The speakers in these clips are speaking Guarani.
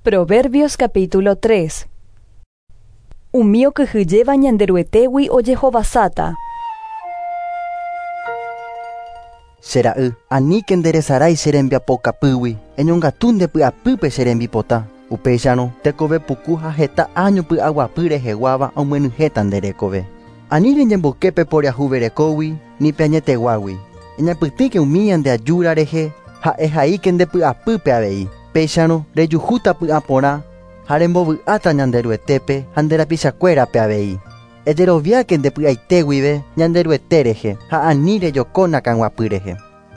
Proverbios capítulo 3. Umi okyhyjéva Ñanderuetégui ojehovasáta. Che ra'y, aníke nderesarái che rembiapokapýgui, eñongatu nde py'apýpe che rembipota. Upéicharõ, tekove puku ha heta áño py'aguapy reheguáva omyenyhẽta nde rekove. Ani reñemboyke pe poriahuverekógui ni pe añeteguágui. Eñapytĩke umi ñande ajúra rehe ha ehaíke nde py'apýpe avei. Péicharõ rejuhúta py'aporã ha rembovy'áta Ñanderuetépe ha nde rapichakuérape avei. Ejeroviáke nde py'aite guive Ñanderuete rehe ha ani rejoko nakãguapy rehe.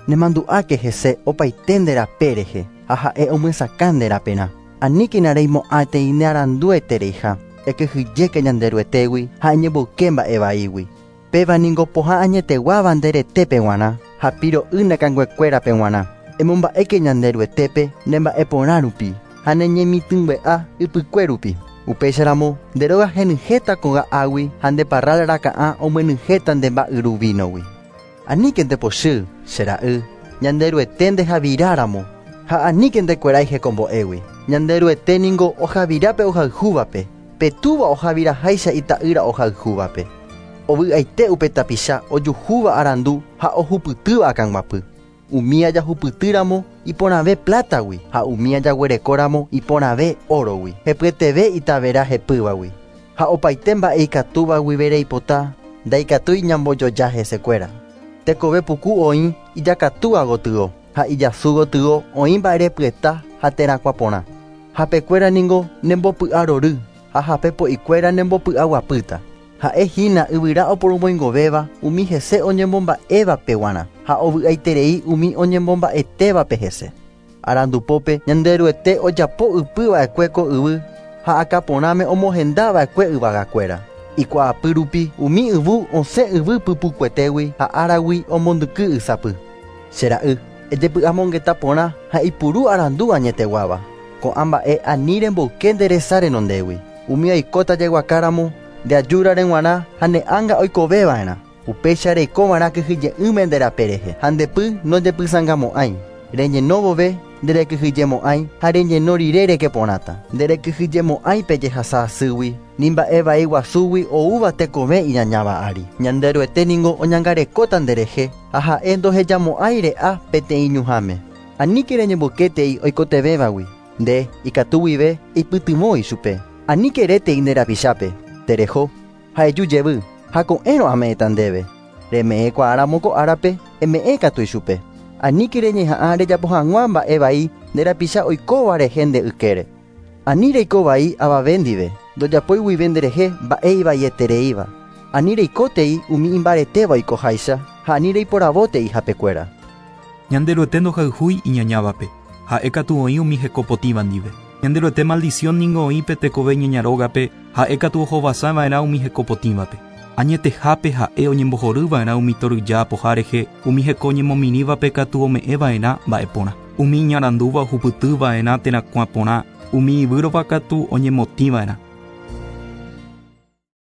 Nemandu'áke hese opaite nde rape rehe ha ha'e omyesakã nde raperã. Aníkena reimo'ãtei nearanduetereiha, ekyhyjéke Ñanderuetégui ha eñemboyke mba'e vaígui. Péva ningo pohã añeteguáva nde retépe g̃uarã ha piro'y ne kanguekuérape g̃uarã. Emomba'éke Ñanderuetépe ne mba'eporã rupi ha ne ñemitỹngue'a ypykue rupi. Upéicharamo nde róga henyhẽta koga'águi ha nde parral raka'ã omyenyhẽta nde mba'yru vínogui. Aníke nde pochy, che ra'y, Ñanderuete ndehaviráramo, ha aníke ndekuerái hekombo'égui. Ñanderuete ningo ohavira pe ohayhúvape, pe túva ohaviraháicha ita'ýra ohayhúvape. Ovy'aite upe tapicha ojuhúva arandu ha ohupytýva akãguapy. Umía jahupytýramo iporãve plátagui ha umía jaguerekóramo iporãve órogui, hepyeteve itavera hepývagui. Ha opaite mba'e ikatúva guive reipota, ndaikatúi ñambojoja hesekuéra. Tekove puku oĩ ijakatúa gotyo ha ijasu gotyo oĩ mba'erepyeta ha terakuã porã. Hapekuéra ningo nembopy'arory ha hape po'ikuéra nembopy'aguapýta. Ha'e hína yvyra oporomoingovéva umi hese oñemomba'évape guarã ha ovy'aiterei umi oñemomba'etévape hese. Arandupópe Ñanderuete ojapo ypy va'ekue ko yvy ha akãporãme omohenda va'ekue yvagakuéra. Ikuaapy rupi umi yvu osẽ yvy pypukuetégui ha áragui omondyky ysapy. Che ra'y, ejepy'amongeta porã ha eipuru arandu añeteguáva. Ko'ã mba'e ani remboyke nde resa renondégui. Umi oikóta jeguakáramo nde ajúrare g̃uarã ha ne ánga oikoveva'erã. Upéicha reikova'erã kyhyje'ỹme nde rape rehe ha nde py nojepysãngamo'ãi. Reñeno vove nderekyhyjemo'ãi ha reñeno rire reke porãta. Nderekyhyjemo'ãi pe jehasa asýgui ni mba'e vai guasúgui oúva tekove iñañáva ári. Ñanderuete ningo oñangarekóta nderehe ha ha'e ndohejamo'ãi re'a peteĩ ñuhãme. Aníke reñemboykétei oikotevẽvagui. Nde, ikatu guive, eipytyvõ ichupe. Aníke erétei nde rapichápe, Tereho, ha eju jevy, ha ko'ẽrõ ame'ẽta ndéve. Reme'ẽkuaáramo ko árape, eme'ẽ katu ichupe. Aníke reñeha'ã rejapo hag̃ua mba'e vai nde rapicha oikóva rehe nde ykére. Ani reiko vai avave ndive, ndojapói guive nderehe mba'e ivaietereíva. Ani reikótei umi imbaretéva oikoháicha ha ani reiporavótei hapekuéra. Ñanderuete ndohayhúi iñañávape, ha'e katu oĩ umi heko potĩva ndive. Ñanderuete maldición ningo oĩ pe tekove ñaña rógape, ha'e katu ohovasa va'erã umi heko potĩvape. Añetehápe ha'e oñembohory va'erã umi toryja apoha rehe, umi heko ñemomirĩvape katu ome'ẽ va'erã mba'e porã. Umi iñarandúva ohupyty va'erã terakuã porã, umi ivýrova katu oñemotĩ va'erã.